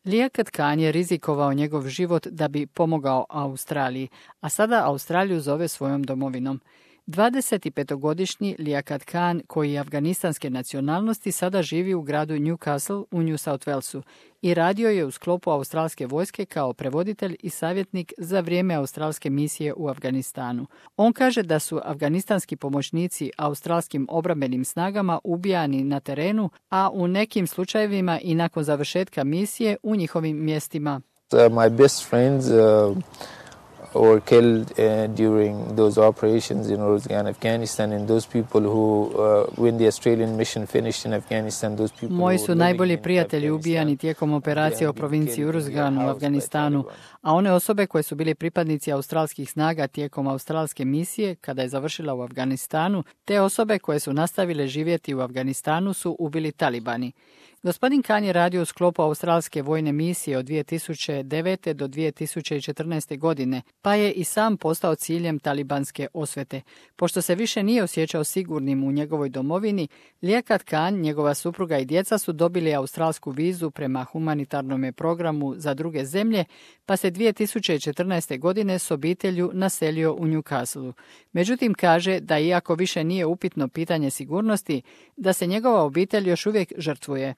Liaquat Khan je rizikovao njegov život da bi pomogao Australiji, a sada Australiju zove svojom domovinom. 25-godišnji Liaquat Khan, koji je afganistanske nacionalnosti, sada živi u gradu Newcastle u New South Walesu i radio je u sklopu australske vojske kao prevoditelj i savjetnik za vrijeme australske misije u Afganistanu. On kaže da su afganistanski pomoćnici australskim obrambenim snagama ubijani na terenu, a u nekim slučajevima i nakon završetka misije u njihovim mjestima. My best friends were killed during those operations in Afghanistan, and those people who, when the Australian mission finished in Afghanistan, those people. Moji su najbolji prijatelji ubijani tijekom operacije u provinciji Uruzgan u Afganistanu, a one osobe koje su bili pripadnici australskih snaga tijekom australske misije, kada je završila u Afganistanu, te osobe koje su nastavile živjeti u Afganistanu su ubili talibani. Gospodin Khan je radio u sklopu australske vojne misije od 2009. do 2014. godine, pa je i sam postao ciljem talibanske osvete. Pošto se više nije osjećao sigurnim u njegovoj domovini, Liaquat Khan, njegova supruga i djeca su dobili australsku vizu prema humanitarnom programu za druge zemlje, pa se 2014. godine s obitelju naselio u Newcastle. Međutim, kaže da iako više nije upitno pitanje sigurnosti, da se njegova obitelj još uvijek žrtvuje.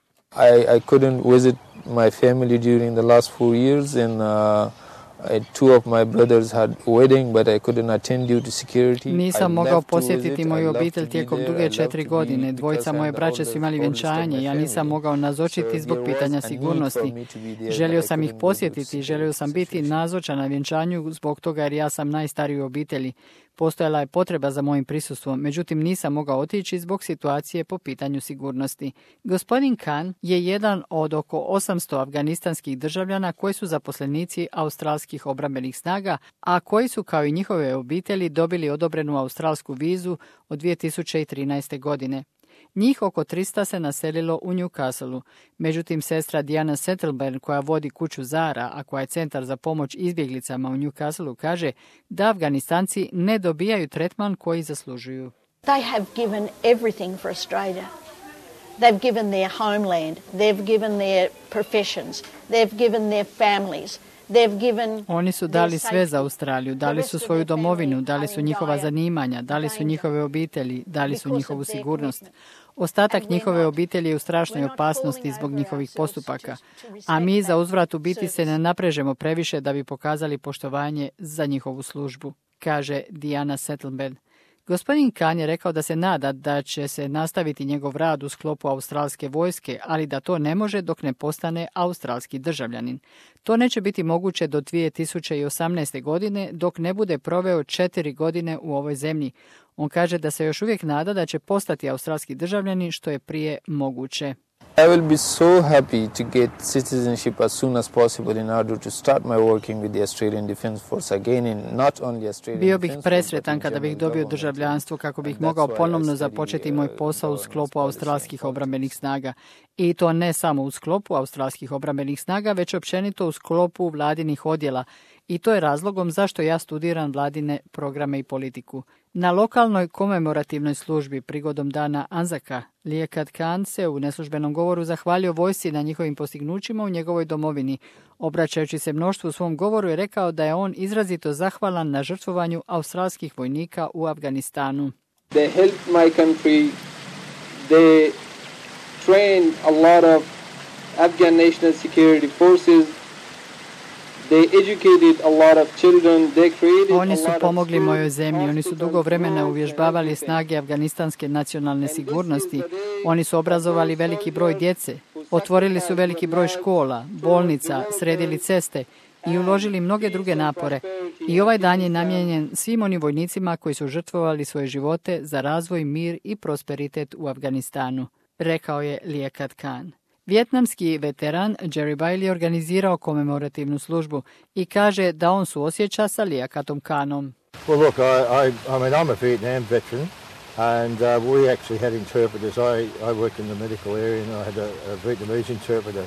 I couldn't visit my family during the last 4 years, and two of my brothers had wedding, but I couldn't attend due to security. Nisam mogao posjetiti moju obitelj tijekom duge 4 godine. Dvojica moje braće su imali vjenčanje. Ja nisam mogao nazočiti zbog pitanja sigurnosti. Želio sam ih posjetiti, želio sam biti nazočan na vjenčanju zbog toga jer ja sam najstariji u obitelji. Postojala je potreba za mojim prisustvom, međutim nisam mogao otići zbog situacije po pitanju sigurnosti. Gospodin Khan je jedan od oko 800 afganistanskih državljana koji su zaposlenici australskih obrambenih snaga, a koji su kao i njihove obitelji dobili odobrenu australsku vizu od 2013. godine. Njih oko 300 se naselilo u Newcastleu. Međutim, sestra Diana Settleburn, koja vodi kuću Zara, a koja je centar za pomoć izbjeglicama u Newcastleu, kaže da Afganistanci ne dobijaju tretman koji zaslužuju. They have given everything for Australia. They've given their homeland, they've given their professions, they've given their families. Oni su dali sve za Australiju, dali su svoju domovinu, dali su njihova zanimanja, dali su njihove obitelji, dali su njihovu sigurnost. Ostatak njihove obitelji je u strašnoj opasnosti zbog njihovih postupaka, a mi za uzvrat u biti se ne naprežemo previše da bi pokazali poštovanje za njihovu službu, kaže Diana Settleburn. Gospodin Khan je rekao da se nada da će se nastaviti njegov rad u sklopu australske vojske, ali da to ne može dok ne postane australski državljanin. To neće biti moguće do 2018. godine dok ne bude proveo 4 godine u ovoj zemlji. On kaže da se još uvijek nada da će postati australski državljanin što je prije moguće. I will be so happy to get citizenship as soon as possible in order to start my working with the Australian Defence Force again, and not only Australian. Bio bih presretan kada bih dobio državljanstvo kako bih mogao ponovno započeti moj posao u sklopu australskih obrambenih snaga. I to ne samo u sklopu australskih obrambenih snaga, već općenito u sklopu vladinih odjela. I to je razlogom zašto ja studiram vladine programe i politiku. Na lokalnoj komemorativnoj službi prigodom dana Anzaka, Liaquat Khan se u neslužbenom govoru zahvalio vojsci na njihovim postignućima u njegovoj domovini. Obraćajući se mnoštvu u svom govoru je rekao da je on izrazito zahvalan na žrtvovanju australskih vojnika u Afganistanu. They helped my country. They trained a lot of Afghan national security forces. Oni su pomogli mojoj zemlji, oni su dugo vremena uvježbavali snage afganistanske nacionalne sigurnosti, oni su obrazovali veliki broj djece, otvorili su veliki broj škola, bolnica, sredili ceste i uložili mnoge druge napore. I ovaj dan je namijenjen svim onim vojnicima koji su žrtvovali svoje živote za razvoj, mir i prosperitet u Afganistanu, rekao je Liaquat Khan. Vijetnamski veteran Jerry Bailey organizirao komemorativnu službu i kaže da on suosjeća sa Liaquatom Khanom. Well, look, I'm a Vietnam veteran, and we actually had interpreters. I worked in the medical area, and I had a Vietnamese interpreter.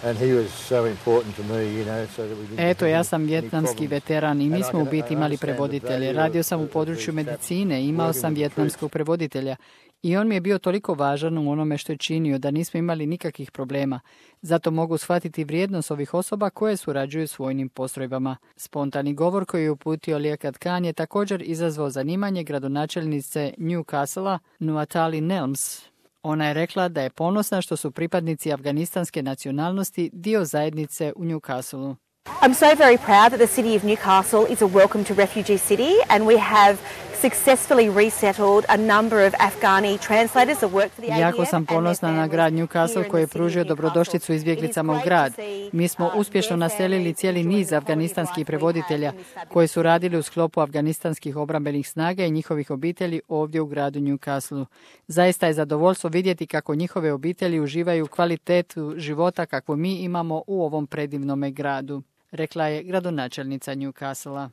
And he was so important to me, you know, so that we didn't. Eto, ja sam vijetnamski veteran i mi smo u biti imali prevoditelje. Radio sam u području medicine, imao sam vijetnamskog prevoditelja I on mi je bio toliko važan u onome što je činio da nismo imali nikakvih problema. Zato mogu shvatiti vrijednost ovih osoba koje surađuju s vojnim postrojbama. Spontani govor koji je uputio Liaquat Khan je također izazvao zanimanje gradonačelnice Newcastlea Nuatali Nelms. Ona je rekla da je ponosna što su pripadnici afganistanske nacionalnosti dio zajednice u Newcastleu. I'm so very proud that the city of Newcastle is a welcome to refugee city, and we have successfully resettled a number of Afghani translators that work for the ADF. Jako sam ponosna na grad Newcastle koji je pružio dobrodošlicu izbjeglicama u grad. Mi smo uspješno naselili cijeli niz afganistanskih prevoditelja koji su radili u sklopu afganistanskih obrambenih snaga i njihovih obitelji ovdje u gradu Newcastleu. Zaista je zadovoljstvo vidjeti kako njihove obitelji uživaju kvalitetu života kakvu mi imamo u ovom predivnome gradu, rekla je gradonačelnica Newcastlea.